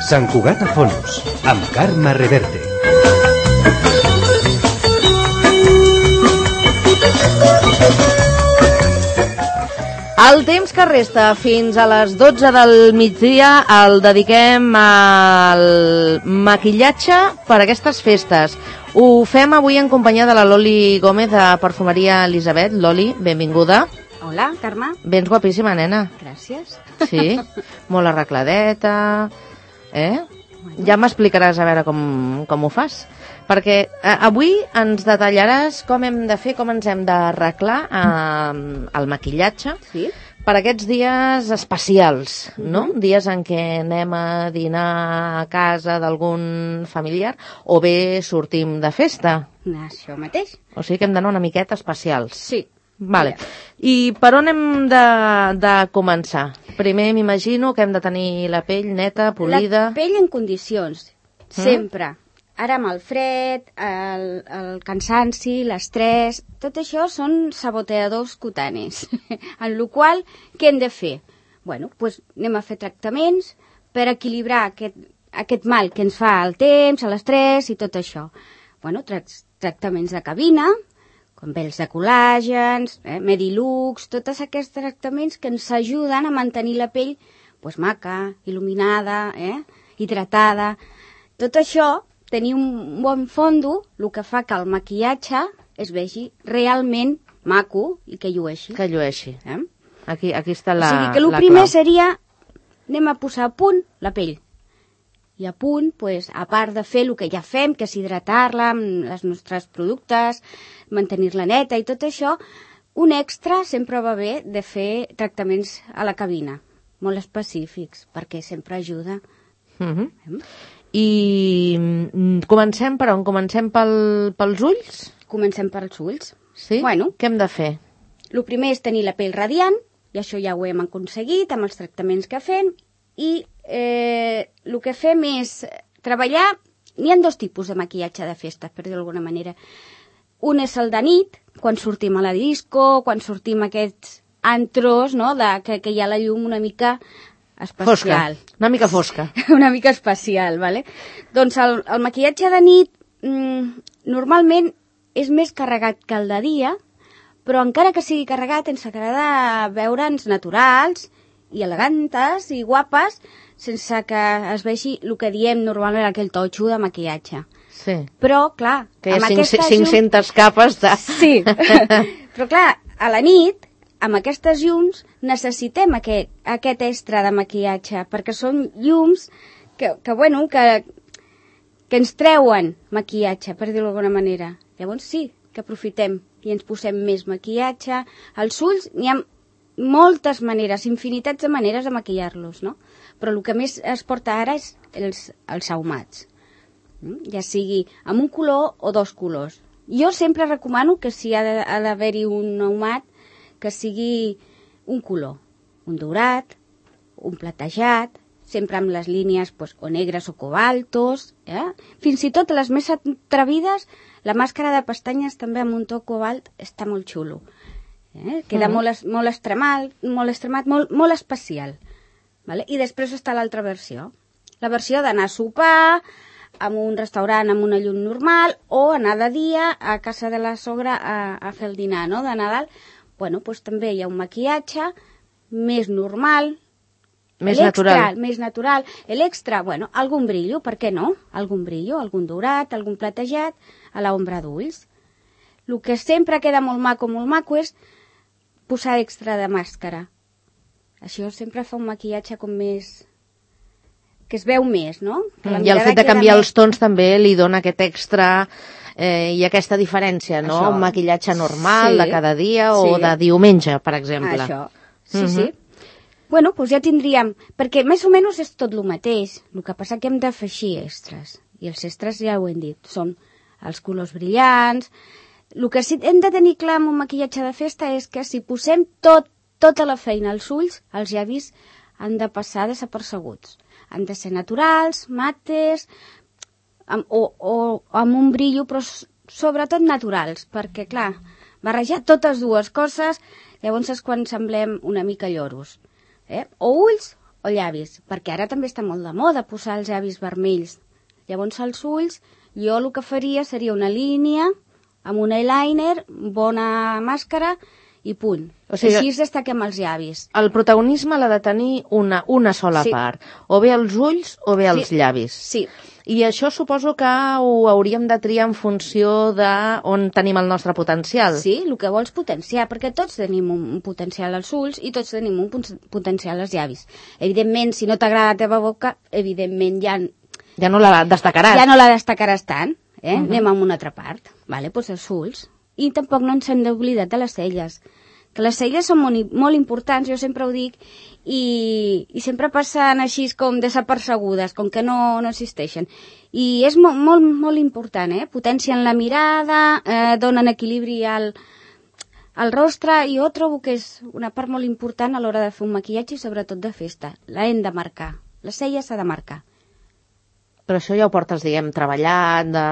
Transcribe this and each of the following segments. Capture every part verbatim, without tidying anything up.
Sant Cugat a Fons, amb Carme Reverte. El temps que resta fins a les dotze del migdia el dediquem al maquillatge per a aquestes festes. Ho fem avui en companyia de la Loli Gómez de Perfumeria Elisabet. Loli, benvinguda. Hola, Carme. Vens guapíssima, nena. Gràcies. Sí, molt arregladeta, eh? Bueno. Ja m'explicaràs a veure com, com ho fas. Perquè eh, avui ens detallaràs com hem de fer, com ens hem d'arreglar eh, el maquillatge. Sí. Per aquests dies especials, no? Uh-huh. Dies en què anem a dinar a casa d'algun familiar o bé sortim de festa. Això mateix. O sigui que hem d'anar una miqueta especials. Sí. Vale. I per on hem de, de començar? Primer m'imagino que hem de tenir la pell neta, polida... La pell en condicions, sempre. Mm? Ara amb el fred, el, el cansanci, l'estrès, tot això són saboteadors cutanis. En la qual, què hem de fer? Bueno, doncs anem a fer tractaments per equilibrar aquest, aquest mal que ens fa el temps, l'estrès i tot això. Bueno, tra tractaments de cabina, com pèls de col·làgens, eh, Medilux, tots aquests tractaments que ens ajuden a mantenir la pell pues, maca, il·luminada, eh, hidratada. Tot això, tenir un bon fondo, el que fa que el maquillatge es vegi realment maco i que llueixi. Que llueixi. Eh? Aquí, aquí està la, o sigui que el la primer clau. Seria, anem a posar a punt la pell. I a punt, pues, a part de fer el que ja fem, que és hidratar-la amb els nostres productes, mantenir-la neta i tot això, un extra sempre va bé de fer tractaments a la cabina, molt específics, perquè sempre ajuda. Uh-huh. eh? I comencem per on? Comencem pel, pels ulls? Comencem pels ulls. Sí? Bueno, què hem de fer? El primer és tenir la pell radiant, i això ja ho hem aconseguit amb els tractaments que fem, i eh, el que fem és treballar... N'hi ha dos tipus de maquillatge de festa, per dir d'alguna manera. Un és el de nit, quan sortim a la disco, quan sortim a aquests antros, no?, de, que, que hi ha la llum una mica... especial. Fosca, una mica fosca. Una mica especial, vale? Doncs el, el maquillatge de nit mmm, normalment és més carregat que el de dia, però encara que sigui carregat ens agrada veure'ns naturals i elegantes i guapes sense que es vegi el que diem normalment aquell totxo de maquillatge. Sí. Però, clar... Que hi ha cinc-centes capes de... Sí, però clar, a la nit amb aquestes llums necessitem aquest, aquest extra de maquillatge, perquè són llums que, que, bueno, que, que ens treuen maquillatge, per dir-ho d'alguna manera. Llavors sí, que aprofitem i ens posem més maquillatge. Els ulls, n'hi ha moltes maneres, infinitats de maneres de maquillar-los, no? Però el que més es porta ara és els, els ahumats. Ja sigui amb un color o dos colors. Jo sempre recomano que si ha d'haver-hi un ahumat, que sigui un color, un daurat, un platejat, sempre amb les línies pues, o negres o cobaltos, eh? Fins i tot les més atrevides, la màscara de pestanyes també amb un to cobalt està molt xulo. Eh? Queda mm. molt, molt extremat, molt, extremat molt, molt especial. Vale? I després està l'altra versió. La versió d'anar a sopar en un restaurant amb una llum normal o anar de dia a casa de la sogra a, a fer el dinar, no?, de Nadal. Bueno, doncs també hi ha un maquillatge més normal, més natural. Més natural. L'extra, bueno, algun brillo, per què no? Algun brillo, algun daurat, algun platejat, a l'ombra d'ulls. El que sempre queda molt maco, molt maco, és posar extra de màscara. Això sempre fa un maquillatge com més... que es veu més, no? Mm, I el fet de canviar més... els tons també li dona aquest extra... Eh, i aquesta diferència, no? Això. Un maquillatge normal sí. de cada dia o sí. de diumenge, per exemple. Això, sí, uh-huh. sí. Bueno, doncs ja tindríem... Perquè més o menys és tot el mateix. El que passa que hem d'afegir extras. I els extras ja ho hem dit. Són els colors brillants. El que sí hem de tenir clar amb un maquillatge de festa és que si posem tot, tota la feina als ulls, els llavis han de passar desapercebuts. Han de ser naturals, mates... Amb, o, o amb un brillo, però sobretot naturals, perquè, clar, barrejar totes dues coses, llavors és quan semblem una mica lloros. Eh? O ulls o llavis, perquè ara també està molt de moda posar els llavis vermells. Llavors als ulls, jo el que faria seria una línia amb un eyeliner, bona màscara i punt. O sigui, així destaquem els llavis. El protagonisme l'ha de tenir una, una sola Sí. part, o bé els ulls o bé els Sí. llavis. Sí. I això suposo que ho hauríem de triar en funció de on tenim el nostre potencial. Sí, el que vols potenciar, perquè tots tenim un potencial als ulls i tots tenim un potencial als llavis. Evidentment, si no t'agrada la teva boca, evidentment ja, Ja no la destacaràs. ja no la destacaràs tant. Eh? Uh-huh. Anem a una altra part. Vale? Doncs els ulls. I tampoc no ens hem d'oblidar de les celles. Que les celles són molt, molt importants, jo sempre ho dic, i, i sempre passen així com desapercebudes, com que no, no existeixen. I és molt, molt, molt important, eh? Potencien la mirada, eh, donen equilibri al, al rostre, i jo trobo que és una part molt important a l'hora de fer un maquillatge i sobretot de festa. La hem de marcar. La cella s'ha de marcar. Però això ja ho portes, diguem, treballat, de...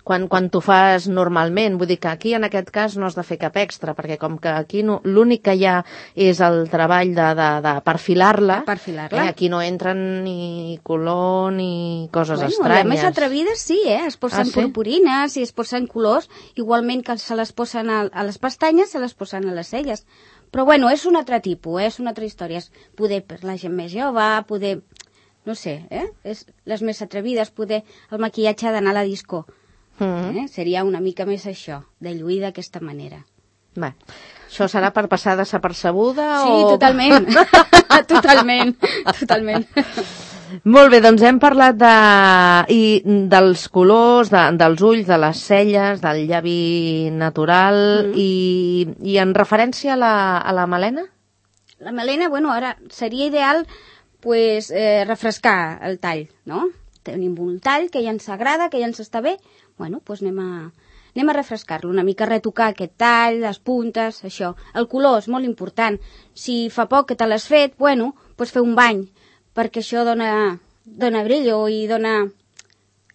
quan, quan t'ho fas normalment. Vull dir que aquí, en aquest cas, no has de fer cap extra, perquè com que aquí no, l'únic que hi ha és el treball de, de, de perfilar-la, Perfilar-la. eh, aquí no entren ni color ni coses Bueno, estranyes. les més atrevides sí, eh? Es posen Ah, sí? purpurines i es posen colors, igualment que se les posen a, a les pestanyes, se les posen a les celles. Però bueno, és un altre tipus, eh? És una altra història. És poder per la gent més jove, poder... No sé, eh? És les més atrevides, poder... El maquillatge ha d'anar a la disco. Mm-hmm. Eh? Seria una mica més això, de lluir d'aquesta manera. Bé, això serà per passar desapercebuda Sí, o... totalment. totalment. Totalment. Molt bé, doncs hem parlat de, i dels colors, de, dels ulls, de les celles, del llavi natural, Mm. i, i en referència a la, a la melena? La melena, bueno, ara seria ideal pues, eh, refrescar el tall, no? Tenim un tall que ja ens agrada, que ja ens està bé, bueno, doncs anem a, anem a refrescar-lo, una mica retocar aquest tall, les puntes, això. El color és molt important. Si fa poc que te l'has fet, bueno, doncs fer un bany, perquè això dona, dona brillo i dona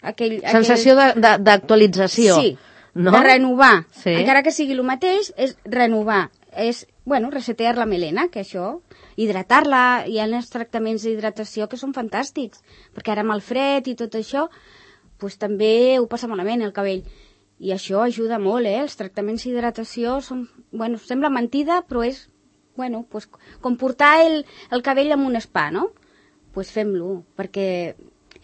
aquell... Sensació aquell... de- de- d'actualització. Sí, no? de renovar. Sí. Encara que sigui el mateix, és renovar. És, bueno, resetear la melena, que això, hidratar-la, hi ha els tractaments d'hidratació que són fantàstics, perquè ara amb el fred i tot això, pues, també ho passa malament el cabell. I això ajuda molt, eh? Els tractaments d'hidratació són, bueno, sembla mentida, però és, bueno, pues, com portar el, el cabell en un spa, no? Pues fem-lo, perquè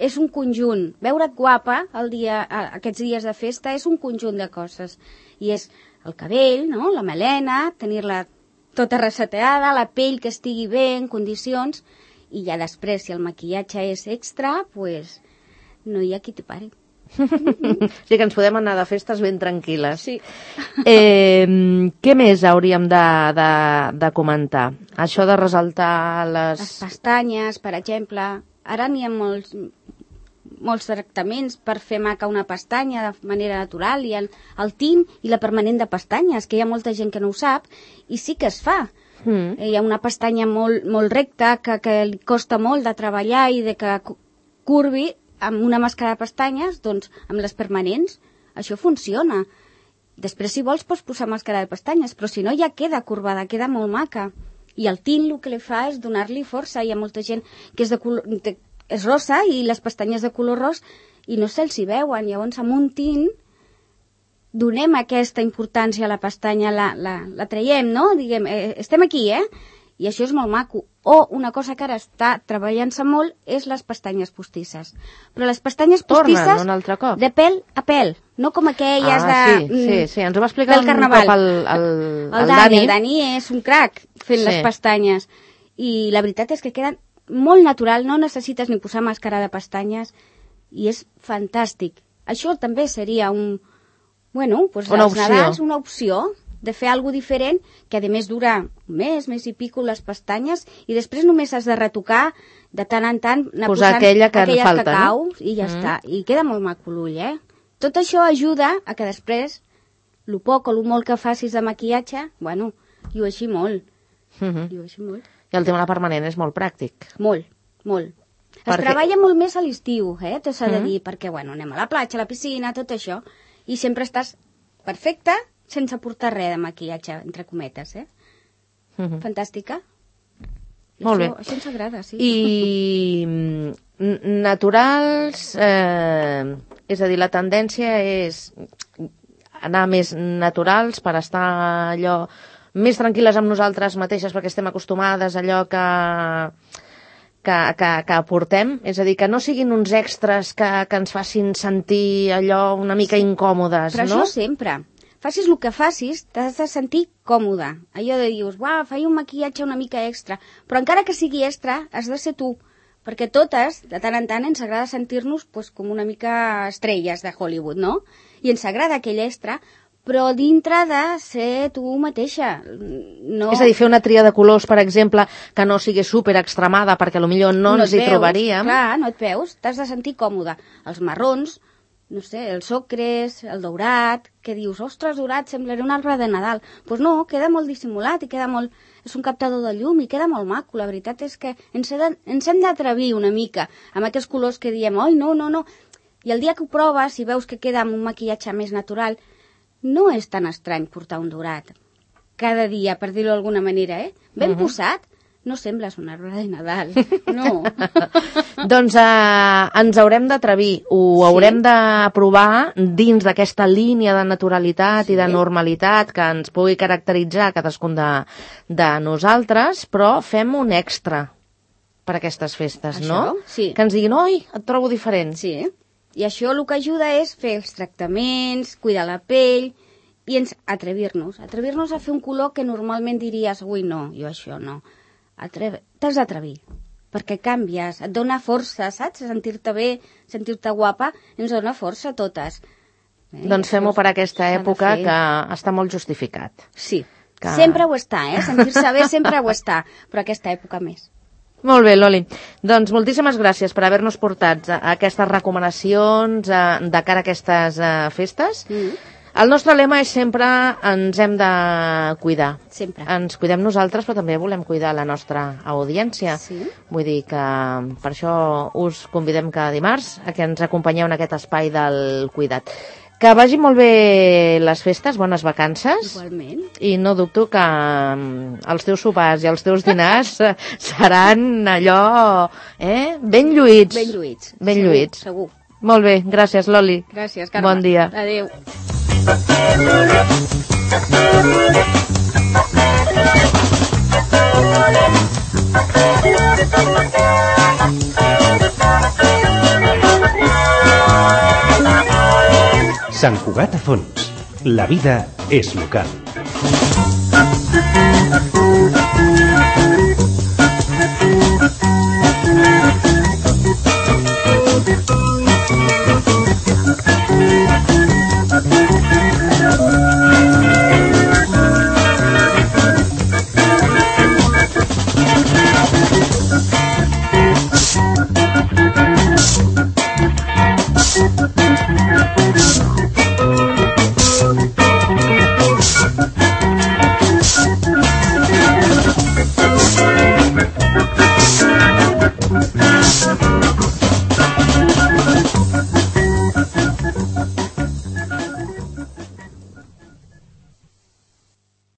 és un conjunt. Veure't guapa el dia, aquests dies de festa és un conjunt de coses. I és el cabell, no? La melena, tenir-la tota reseteada, la pell que estigui bé, en condicions, i ja després, si el maquillatge és extra, pues, no hi ha qui t'hi pari. O sigui que ens podem anar de festes ben tranquil·les. Sí. Eh, què més hauríem de, de, de comentar? Això de resaltar les... Les pestanyes, per exemple. Ara n'hi ha molts, molts tractaments per fer maca una pestanya de manera natural. Hi ha el tint i la permanent de pestanyes, que hi ha molta gent que no ho sap, i sí que es fa. Mm. Hi ha una pestanya molt, molt recta que, que li costa molt de treballar i de que curvi amb una màscara de pestanyes, doncs amb les permanents, això funciona. Després, si vols, pots posar màscara de pestanyes, però si no ja queda corbada, queda molt maca. I el tint el que li fa és donar-li força. Hi ha molta gent que és, de color, de, és rosa i les pestanyes de color ros i no se'ls hi veuen. Llavors, amb un tint donem aquesta importància a la pestanya, la, la, la traiem, no? Diguem, eh, estem aquí, eh? I això és molt maco. O una cosa que ara està treballant-se molt és les pestanyes postisses. Però les pestanyes postisses Tornen un altre cop. de pèl a pèl, no com aquelles ah, de... sí, sí, sí, ens ho va explicar del un carnaval. cop el, el, El, el Dani, Dani. el Dani és un crac fent Sí. les pestanyes. I la veritat és que queden molt natural, no necessites ni posar màscara de pestanyes i és fantàstic. Això també seria un... Bueno, pues Una als opció. Nadals, una opció de fer alguna diferent, que a més dura un mes, mes i pico les pestanyes, i després només has de retocar de tant en tant, anar Posar posant aquella que en aquelles falta, no? cacau, i ja Mm. està. I queda molt maco l'ull, eh? Tot això ajuda a que després, lo poc o lo molt que facis de maquillatge, bueno, llueixi molt. Mhm. Llueixi molt. I el tema de la permanent és molt pràctic. Molt, molt. Es Perquè- treballa molt més a l'estiu, eh? T'ho s'ha de Mhm. dir, perquè, bueno, anem a la platja, a la piscina, tot això, i sempre estàs perfecta sense portar res de maquillatge, entre cometes, eh? Mhm. Fantàstica. Molt bé. Això, això ens agrada, sí. I naturals, eh, és a dir, la tendència és anar més naturals per estar allò més tranquil·les amb nosaltres mateixes perquè estem acostumades a allò que, que, que, que aportem, és a dir, que no siguin uns extras que, que ens facin sentir allò una mica incòmodes, Però no? això sempre. Facis el que facis, t'has de sentir còmode. Allò de dius, uau, faig un maquillatge una mica extra, però encara que sigui extra, has de ser tu. Perquè totes, de tant en tant, ens agrada sentir-nos pues, com una mica estrelles de Hollywood, no? I ens agrada aquell extra, però dintre de ser tu mateixa. No... És a dir, fer una tria de colors, per exemple, que no sigui super extremada, perquè potser no, no ens hi veus, trobaríem. Clar, no et veus, t'has de sentir còmode. Els marrons, no sé, els ocres, el daurat, que dius, ostres, daurat, semblaré un arbre de Nadal. Doncs pues no, queda molt dissimulat i queda molt... És un captador de llum i queda molt maco. La veritat és que ens, he de... ens hem d'atrevir una mica amb aquests colors que diem, oi, no, no, no. I el dia que ho proves i veus que queda amb un maquillatge més natural, no és tan estrany portar un daurat cada dia, per dir-ho d'alguna manera, eh? Ben uh-huh. posat, no sembles un arbre de Nadal, no. Doncs eh, ens haurem d'atrevir, ho sí. haurem de provar dins d'aquesta línia de naturalitat sí. i de normalitat que ens pugui caracteritzar cadascun de, de nosaltres, però fem un extra per aquestes festes, Això? no? Sí. Que ens diguin, oi, et trobo diferent. Sí, i això el que ajuda és fer els tractaments, cuidar la pell i ens atrevir-nos. Atrevir-nos a fer un color que normalment diries, ui, no, jo això no. Atreve... T'has d'atrevir, perquè canvies, et dona força, saps? Sentir-te bé, sentir-te guapa, ens dona força a totes. Eh? Doncs fem-ho per aquesta època que està molt justificat. Sí, que... sempre ho està, eh? Sentir-se bé sempre ho està, però aquesta època més. Molt bé, Loli. Doncs moltíssimes gràcies per haver-nos portat aquestes recomanacions de cara a aquestes festes. Mm. El nostre lema és sempre ens hem de cuidar. Sempre. Ens cuidem nosaltres, però també volem cuidar la nostra audiència. Sí. Vull dir que per això us convidem cada dimarts a que ens acompanyeu en aquest espai del cuidat. Que vagi molt bé les festes, bones vacances. Igualment. I no dubto que els teus sopars i els teus dinars seran allò eh, ben lluïts. Ben lluïts. Ben segur, lluïts. Segur. Molt bé, gràcies, Loli. Gràcies, Carme. Bon dia. Adéu. Sant Cugat a Fons. La vida és local.